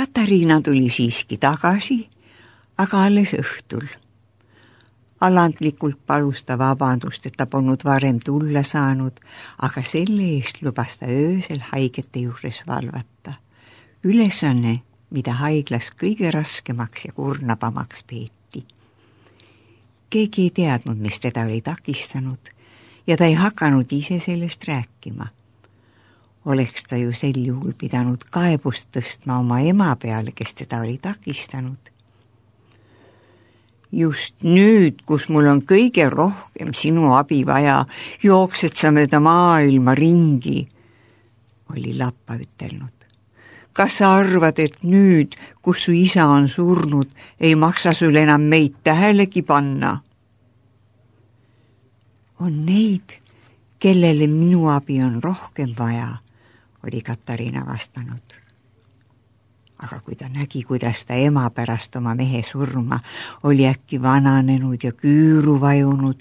Katariina tuli siiski tagasi, aga alles õhtul. Alandlikult palus ta vabandust, et ta polnud varem tulla saanud, aga selle eest lubas ta öösel haigete juures valvata. Ülesanne, mida haiglas kõige raskemaks ja kurnavamaks peeti. Keegi ei teadnud, mis teda oli takistanud ja ta ei hakanud ise sellest rääkima. Oleks ta ju sel juhul pidanud kaebust tõstma oma ema peale, kes teda oli takistanud. Just nüüd, kus mul on kõige rohkem sinu abi vaja, jooksed sa mööda maailma ringi, oli Lappa ütelnud. Kas sa arvad, et nüüd, kus su isa on surnud, ei maksa sul enam meid tähelegi panna? On neid, kellele minu abi on rohkem vaja, oli Katariina vastanud. Aga kui ta nägi, kuidas ta ema pärast oma mehe surma oli äkki vananenud ja küüru vajunud,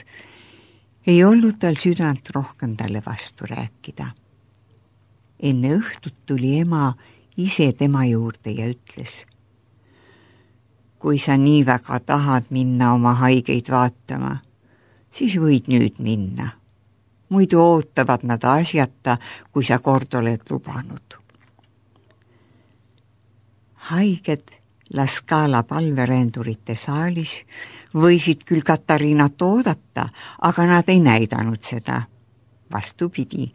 ei olnud tal südant rohkem talle vastu rääkida. Enne õhtut tuli ema ise tema juurde ja ütles: kui sa nii väga tahad minna oma haigeid vaatama, siis võid nüüd minna. Muidu ootavad nad asjata, kui sa kord oled lubanud. Haiged La Scala palverändurite saalis võisid küll Katariinat oodata, aga nad ei näidanud seda. Vastupidi,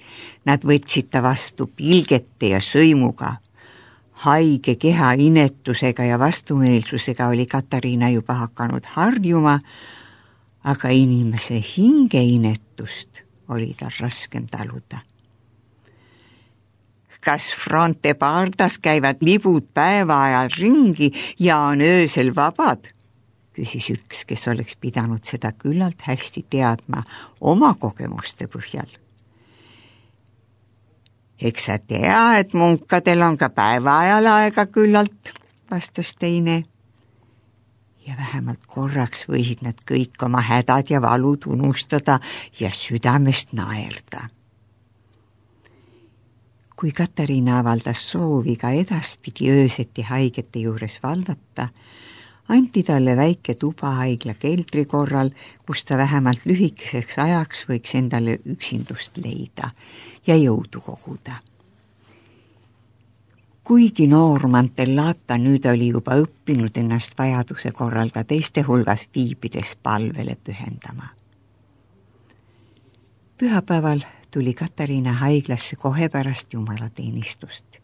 nad võtsid ta vastu pilgete ja sõimuga. Haige keha inetusega ja vastumeelsusega oli Katariina juba hakanud harjuma, aga inimese hinge inetust oli tal raskem taluda. Kas Fronte Pardas käivad libud päeva ajal ringi ja on öösel vabad? Küsis üks, kes oleks pidanud seda küllalt hästi teadma oma kogemuste põhjal. Eks sa tea, et munkadel on ka päeva ajal aega küllalt, vastas teine. Ja vähemalt korraks võisid nad kõik oma hädad ja valud unustada ja südamest naerda. Kui Katariina avaldas soovi ka edaspidi ööseti haigete juures valvata, anti talle väike tuba haigla keldri korral, kus ta vähemalt lühikeseks ajaks võiks endale üksindust leida ja jõudu koguda. Kuigi noor Mantellata nüüd oli juba õppinud ennast vajaduse korral ka teiste hulgas viibides palvele pühendama. Pühapäeval tuli Katariina haiglasse kohe pärast jumalateenistust.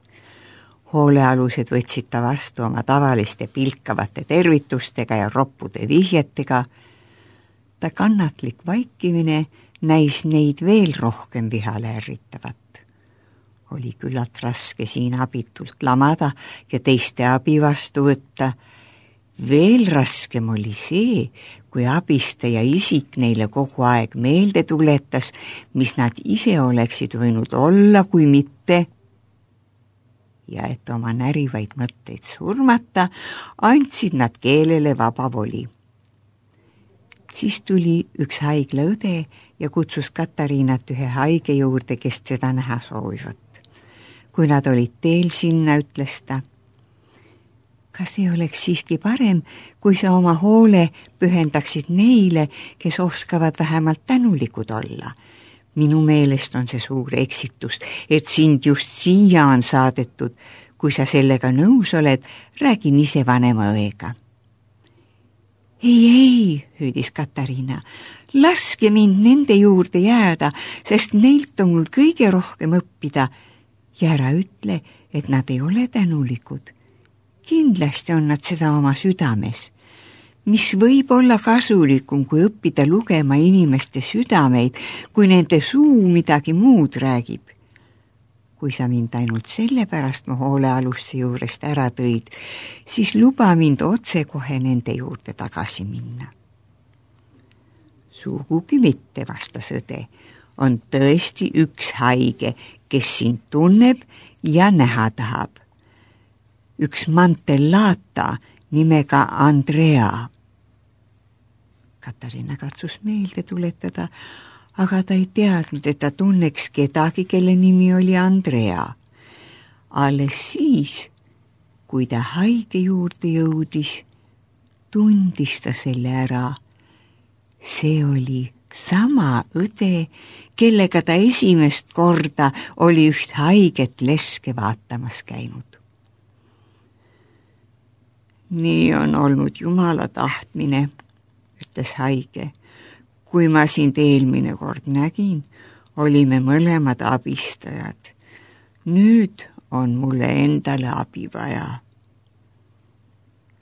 Hoolealused võtsid ta vastu oma tavaliste pilkavate tervitustega ja roppude vihjetega. Ta kannatlik vaikimine näis neid veel rohkem vihale ärritavat. Oli küllalt raske siin abitult lamada ja teiste abi vastu võtta. Veel raskem oli see, kui abistaja isik neile kogu aeg meelde tuletas, mis nad ise oleksid võinud olla, kui mitte. Ja et oma närivaid mõtteid surmata, andsid nad keelele vaba voli. Siis tuli üks haiglaõde ja kutsus Katariinat ühe haige juurde, kes seda näha soovivat. Kui nad olid teel sinna, ütles ta: kas ei oleks siiski parem, kui sa oma hoole pühendaksid neile, kes oskavad vähemalt tänulikud olla? Minu meelest on see suur eksitus, et sind just siia on saadetud. Kui sa sellega nõus oled, räägin ise vanema õega. Ei, hüüdis Katariina, laske mind nende juurde jääda, sest neilt on mul kõige rohkem õppida. Ja ära ütle, et nad ei ole tänulikud. Kindlasti on nad seda oma südames. Mis võib olla kasulikum, kui õppida lugema inimeste südameid, kui nende suu midagi muud räägib. Kui sa mind ainult sellepärast mu hoolealuste juurest ära tõid, siis luba mind otsekohe nende juurde tagasi minna. Sugugi mitte, vastas õde. On tõesti üks haige, kes sind tunneb ja näha tahab. Üks Mantellata nimega Andrea. Katariina katsus meelde tuletada, aga ta ei teadnud, et ta tunneks kedagi, kelle nimi oli Andrea. Alles siis, Kui ta haige juurde jõudis, tundis ta selle ära. See oli sama õde, kellega ta esimest korda oli üht haiget leske vaatamas käinud. Nii on olnud Jumala tahtmine, ütles haige. Kui ma sind eelmine kord nägin, olime mõlemad abistajad. Nüüd on mulle endale abi vaja.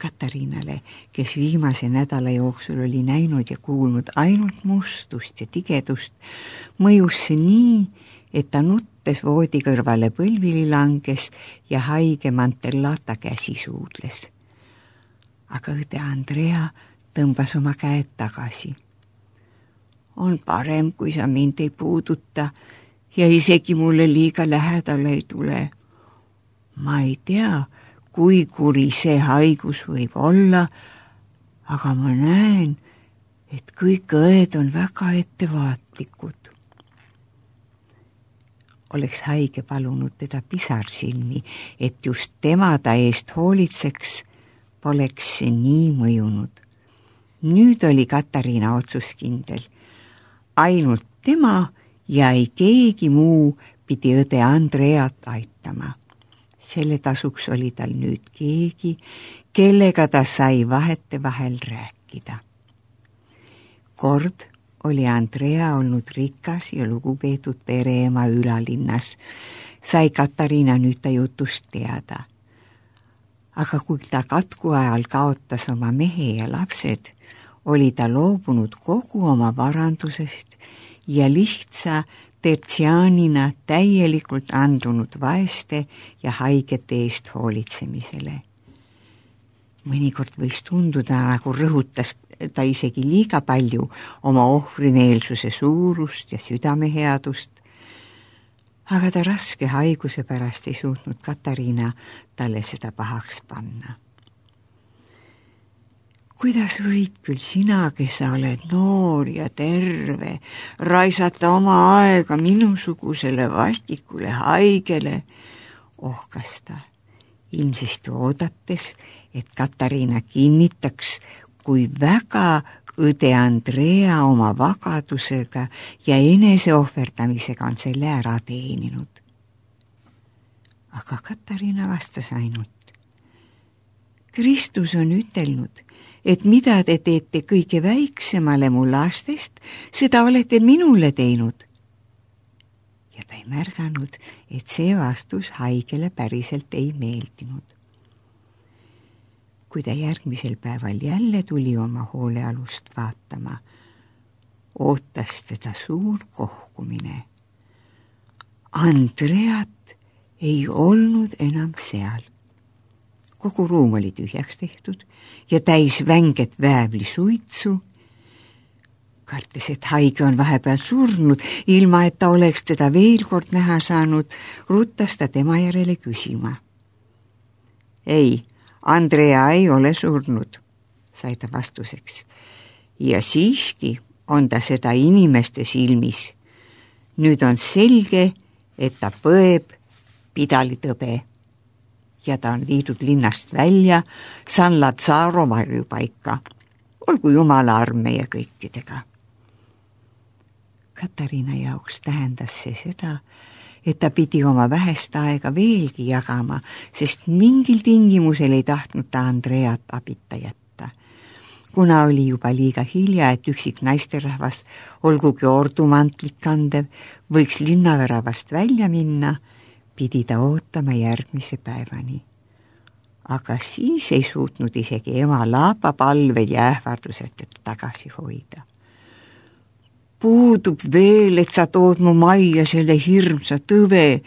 Katariinale, kes viimase nädala jooksul oli näinud ja kuulnud ainult mustust ja tigedust, mõjus see nii, et ta nuttes voodi kõrvale põlvili langes ja haige Mantellata käsi suudles. Aga õde Andrea tõmbas oma käed tagasi. On parem, kui sa mind ei puuduta ja isegi mulle liiga lähedale ei tule. Ma ei tea, kui kuri see haigus võib olla, aga ma näen, et kõik õed on väga ettevaatlikud. Oleks haige palunud teda pisarsilmi, et just tema ta eest hoolitseks, poleks see nii mõjunud. Nüüd oli Katariina otsuskindel. Ainult tema ja ei keegi muu pidi õde Andreat aitama. Selle tasuks oli tal nüüd keegi, kellega ta sai vahetevahel rääkida. Kord oli Andrea olnud rikas ja lugupeetud pereema ülalinnas. Sai Katariina nüüd ta jutust teada. Aga kui ta katku ajal kaotas oma mehe ja lapsed, oli ta loobunud kogu oma varandusest ja lihtsa tertsiaanina täielikult andunud vaeste ja haigete eest hoolitsemisele. Mõnikord võis tunduda, nagu rõhutas ta isegi liiga palju oma ohvrimeelsuse suurust ja südameheadust, aga ta raske haiguse pärast ei suutnud Katariina talle seda pahaks panna. Kuidas võid küll sina, kes sa oled noor ja terve, raisata oma aega minusugusele vastikule haigele, ohkas ta, ilmsesti oodates, et Katariina kinnitaks, kui väga õde Andrea oma vagadusega ja eneseohverdamisega on selle ära teeninud. Aga Katariina vastas ainult. Kristus on ütelnud, et mida te teete kõige väiksemale mu lastest, seda olete minule teinud. Ja ta ei märganud, et see vastus haigele päriselt ei meeldinud. Kui ta järgmisel päeval jälle tuli oma hoolealust vaatama, ootas teda suur kohkumine. Andreat ei olnud enam seal. Kogu ruum oli tühjaks tehtud ja täis vänget väävlisuitsu. Kartes, et haige on vahepeal surnud, ilma et ta oleks teda veel kord näha saanud, ruttas ta tema järele küsima. Ei, Andrea ei ole surnud, sai ta vastuseks. Ja siiski on ta seda inimeste silmis. Nüüd on selge, et ta põeb pidalitõbe. Ja ta on viidud linnast välja San Lazzaro varjupaika. Olgu Jumala arm meie kõikidega. Katariina jaoks tähendas see seda, et ta pidi oma vähest aega veelgi jagama, sest mingil tingimusel ei tahtnud ta Andreat abita jätta. Kuna oli juba liiga hilja, et üksik naisterahvas, olgugi ordumantlit kandev, võiks linnaväravast välja minna, pidi ta ootama järgmise päevani. Aga siis ei suutnud isegi ema Laapa palved ja ähvardused teda tagasi hoida. Puudub veel, et sa tood mu majja selle hirmsa tõve.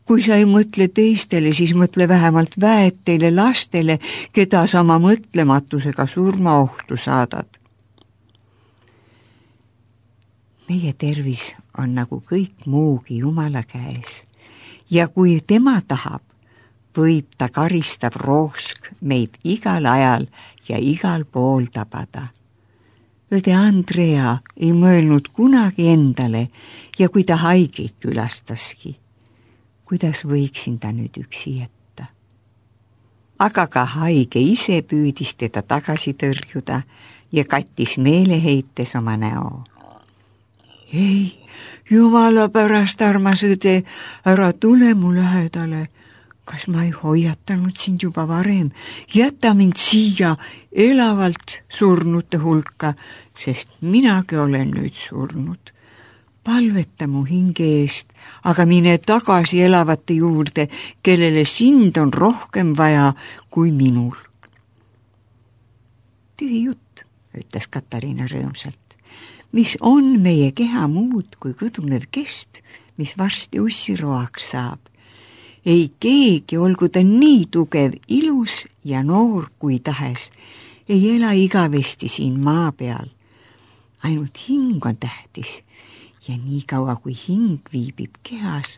Kui sa ei mõtle teistele, siis mõtle vähemalt väeteile lastele, keda sa oma mõtlematusega surmaohtu saadad. Meie tervis on nagu kõik muugi Jumala käes. Ja kui tema tahab, võib ta karistav roosk meid igal ajal ja igal pool tabada. Õde Andrea ei mõelnud kunagi endale ja kui ta haigeid külastaski, kuidas võiksin ta nüüd üksi jätta? aga ka haige ise püüdis teda tagasi tõrjuda ja kattis meeleheites oma näo. Ei, jumala pärast, armas õde, ära tule mu lähedale. Kas ma ei hoiatanud sind juba varem? Jäta mind siia elavalt surnute hulka, sest minagi olen nüüd surnud. Palveta mu hinge eest, aga mine tagasi elavate juurde, kellele sind on rohkem vaja kui minul. Tühi jutt, ütles Katariina rõõmsalt. Mis on meie keha muud kui kõdunev kest, mis varsti ussiroaks saab? Ei keegi, olgu ta nii tugev, ilus ja noor kui tahes, ei ela igavesti siin maa peal. Ainult hing on tähtis ja nii kaua kui hing viibib kehas,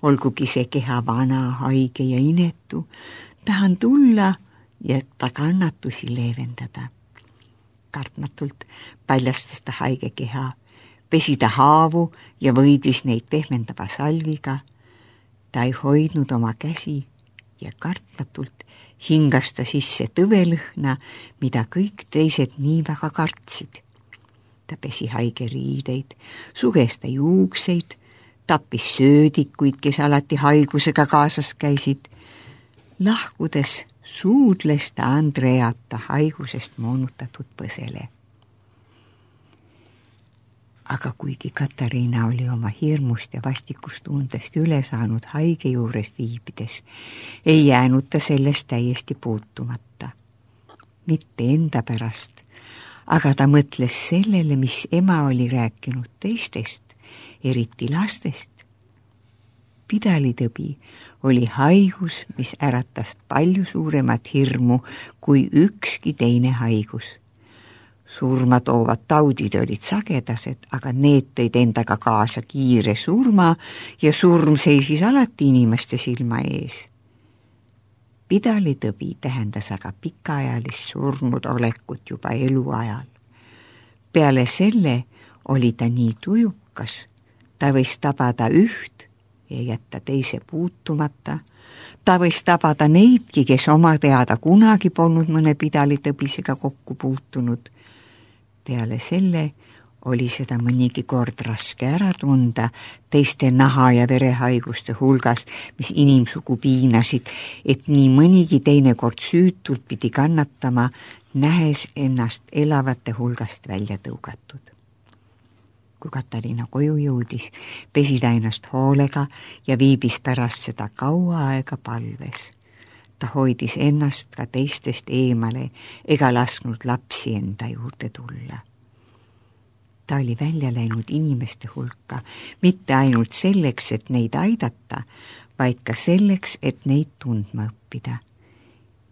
olgugi see keha vana, haige ja inetu, tahan tulla ja ta kannatusi leevendada. Kartmatult paljastas ta haige keha, pesi ta haavu ja võidis neid pehmendava salviga. Ta ei hoidnud oma käsi ja kartmatult hingas ta sisse tõvelõhna, mida kõik teised nii väga kartsid. Ta pesi haige riideid, suges ta juukseid, tappis söödikuid, kes alati haigusega kaasas käisid. Lahkudes suudles ta Andreata haigusest moonutatud põsele. Aga kuigi Katariina oli oma hirmust ja vastikustundest üle saanud haige juures viibides, ei jäänud ta sellest täiesti puutumata. Mitte enda pärast, aga ta mõtles sellele, mis ema oli rääkinud teistest, eriti lastest. Pidalitõbi oli haigus, mis äratas palju suuremat hirmu kui ükski teine haigus. Surma toovad taudid olid sagedased, aga need tõid endaga kaasa kiire surma ja surm seisis alati inimeste silma ees. Pidalitõbi tähendas aga pikaajalist surnud olekut juba eluajal. Peale selle oli ta nii tujukas, ta võis tabada üht ja jätta teise puutumata. Ta võis tabada neidki, kes oma teada kunagi polnud mõne pidalitõbisega kokku puutunud. Peale selle oli seda mõnigi kord raske ära tunda teiste naha- ja verehaiguste hulgast, mis inimsugu piinasid, et nii mõnigi teinekord süütult pidi kannatama, nähes ennast elavate hulgast välja tõugatud. Kui Katariina koju jõudis, pesi ta ennast hoolega ja viibis pärast seda kaua aega palves. Ta hoidis ennast ka teistest eemale ega lasknud lapsi enda juurde tulla. Ta oli välja läinud inimeste hulka, mitte ainult selleks, et neid aidata, vaid ka selleks, et neid tundma õppida.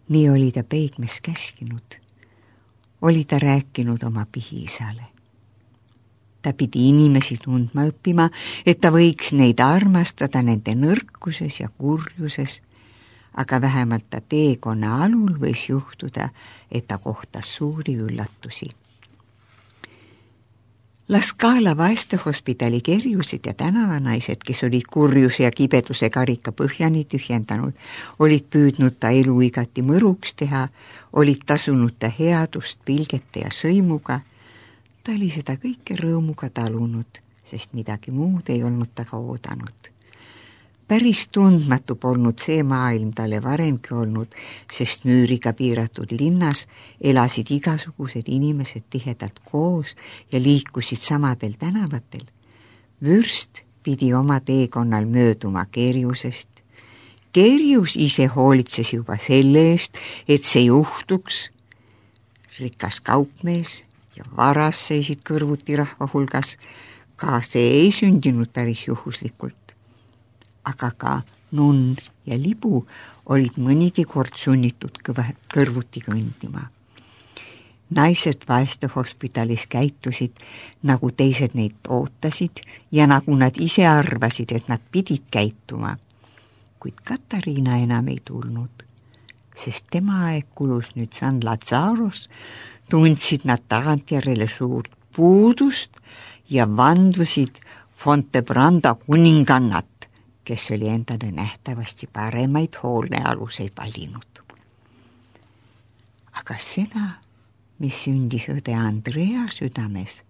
Nii oli ta peigmes käskinud. Oli ta rääkinud oma pihiisale. Ta pidi inimesi tundma õppima, et ta võiks neid armastada nende nõrkuses ja kurjuses, aga vähemalt ta teekonna alul võis juhtuda, et ta kohtas suuri üllatusi. La Scala vaestehospitali kerjused ja tänavanaised, kes olid kurjuse ja kibeduse karika põhjani tühjendanud, olid püüdnud ta elu igati mõruks teha, olid tasunud ta headust pilgete ja sõimuga. Ta oli seda kõike rõõmuga talunud, sest midagi muud ei olnud taga oodanud. Päris tundmatu polnud see maailm talle varemgi olnud, sest müüriga piiratud linnas elasid igasugused inimesed tihedalt koos ja liikusid samadel tänavatel. Vürst pidi oma teekonnal mööduma kerjusest. Kerjus ise hoolitses juba selle eest, et see juhtuks. Rikas kaupmees ja varas seisid kõrvuti rahva hulgas, ka see ei sündinud päris juhuslikult. Aga ka nunn ja libu olid mõnigi kord sunnitud kõrvuti kõndima. Naised vaestehospitalis käitusid, nagu teised neid ootasid ja nagu nad ise arvasid, et nad pidid käituma. Kuid Katariina enam ei tulnud, sest tema aeg kulus nüüd San Lazaros, tundsid nad tagantjärele suurt puudust ja vandusid Fontebranda kuningannat, kes oli endale nähtavasti paremaid hoolnealuseid valinud. aga seda, mis sündis õde Andrea südames,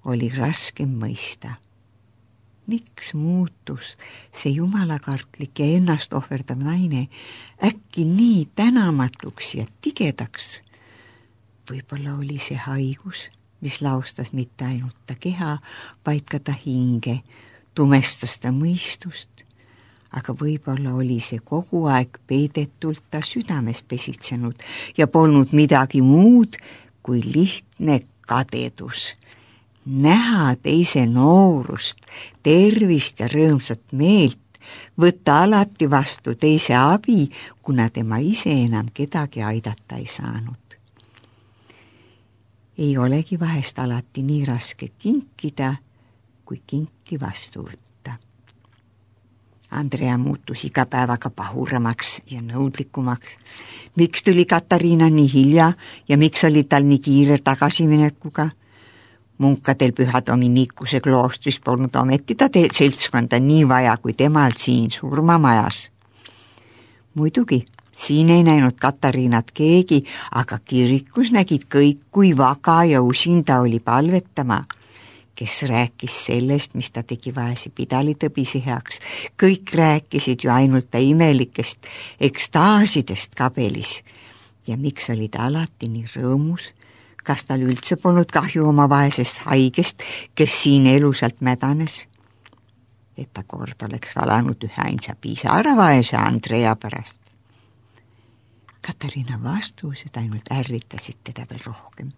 oli raske mõista. Miks muutus see jumalakartlik ja ennast ohverdav naine äkki nii tänamatuks ja tigedaks? Võib-olla oli see haigus, mis laustas mitte ainult ta keha, vaid ka ta hinge, tumestas ta mõistust, aga võib-olla oli see kogu aeg peidetult ta südames pesitsenud ja polnud midagi muud kui lihtne kadedus. Näha teise noorust, tervist ja rõõmsat meelt, võtta alati vastu teise abi, kuna tema ise enam kedagi aidata ei saanud. Ei olegi vahest alati nii raske kinkida, kui kinki vastu võtta. Andrea muutus iga päevaga pahuramaks ja nõudlikumaks. Miks tuli Katariina nii hilja ja miks oli tal nii kiire tagasiminekuga? Munkadel Püha Dominikuse kloostris polnud ometi ta seltskonda nii vaja kui temal siin surmamajas. Muidugi, siin ei näinud Katariinat keegi, aga kirikus nägid kõik, kui vaga ja usin ta oli palvetama, kes rääkis sellest, mis ta tegi vaese pidalitõbise heaks. Kõik rääkisid ju ainult ta imelikest ekstaasidest kabelis. Ja miks oli ta alati nii rõõmus? Kas tal üldse polnud kahju oma vaesest haigest, kes siin elusalt mädanes? Et ta kord oleks valanud üheainsa pisara vaese Andrea pärast. Katariina vastused ainult ärritasid teda veel rohkem.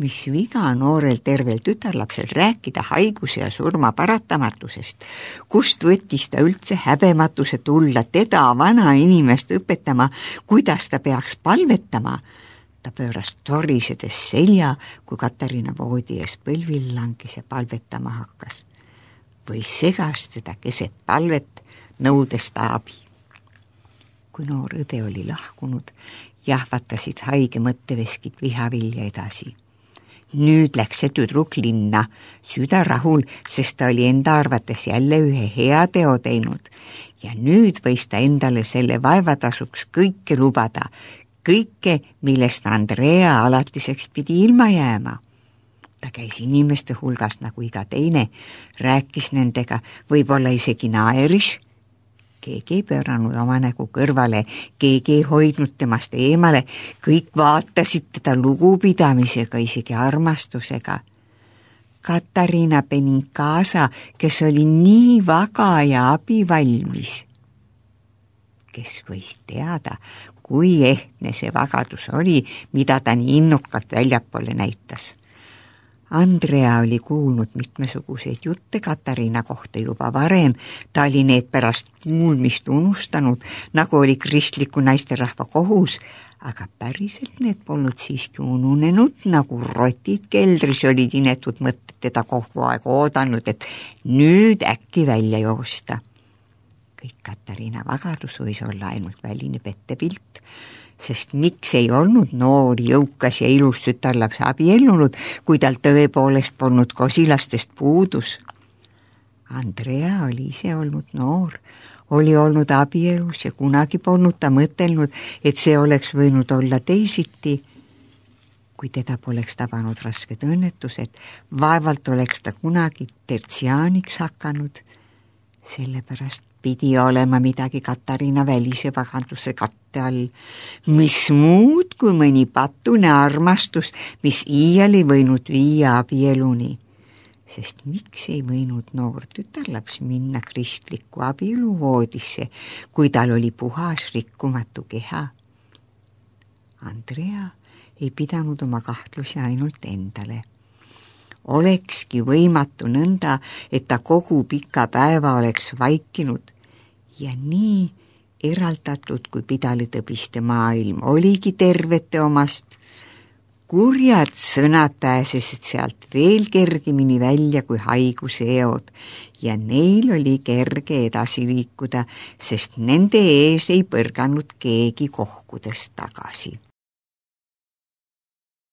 Mis viga noorel tervel tütarlapsel rääkida haiguse ja surma paratamatusest? Kust võttis ta üldse häbematuse tulla teda, vana inimest, õpetama, kuidas ta peaks palvetama? Ta pööras torisedes selja, kui Katariina voodi ees põlvil langis ja palvetama hakkas. Või segas teda keset palvet, nõudes ta abi. Kui noor õde oli lahkunud, jahvatasid haige mõtteveskid vihavilja edasi. Nüüd läks see tüdruk linna, süda rahul, sest ta oli enda arvates jälle ühe hea teo teinud. Ja nüüd võis ta endale selle vaevatasuks kõike lubada, kõike, millest Andrea alatiseks pidi ilma jääma. Ta käis inimeste hulgas nagu iga teine, rääkis nendega, võib-olla isegi naeris. Keegi ei pööranud oma nägu kõrvale, keegi ei hoidnud temast eemale, kõik vaatasid teda lugupidamisega, isegi armastusega. Katariina Benincasa, kes oli nii vaga ja abivalmis. Kes võis teada, kui ehtne see vagadus oli, mida ta nii innukalt väljapoole näitas. Andrea oli kuulnud mitmesuguseid jutte Katariina kohta juba varem, ta oli need pärast kuulmist unustanud, nagu oli kristliku naisterahva kohus, aga päriselt need polnud siiski ununenud, nagu rotid keldris olid inetud mõtted teda kogu aeg oodanud, et nüüd äkki välja joosta. Kõik Katariina vagadus võis olla ainult väline pettepilt, sest miks ei olnud noor, jõukas ja ilus tütarlaps abiellunud, kui tal tõepoolest polnud kosilastest puudus. Andrea oli ise olnud noor, oli olnud abielus ja kunagi polnud ta mõtelnud, et see oleks võinud olla teisiti. Kui teda poleks tabanud rasked õnnetused, vaevalt oleks ta kunagi tertsiaaniks hakanud. Sellepärast pidi olema midagi Katariina välise vaganduse katte all. Mis muud kui mõni patune armastus, mis iial ei võinud viia abieluni. Sest miks ei võinud noor tütarlaps minna kristliku abieluvoodisse, kui tal oli puhas rikkumatu keha? Andrea ei pidanud oma kahtlusi ainult endale. Olekski võimatu nõnda, et ta kogu pika päeva oleks vaikinud ja nii eraldatud, kui pidalitõbiste maailm oligi tervete omast. Kurjad sõnad pääsesid sealt veel kergemini välja kui haiguse eod ja neil oli kerge edasi liikuda, sest nende ees ei põrganud keegi kohkudest tagasi.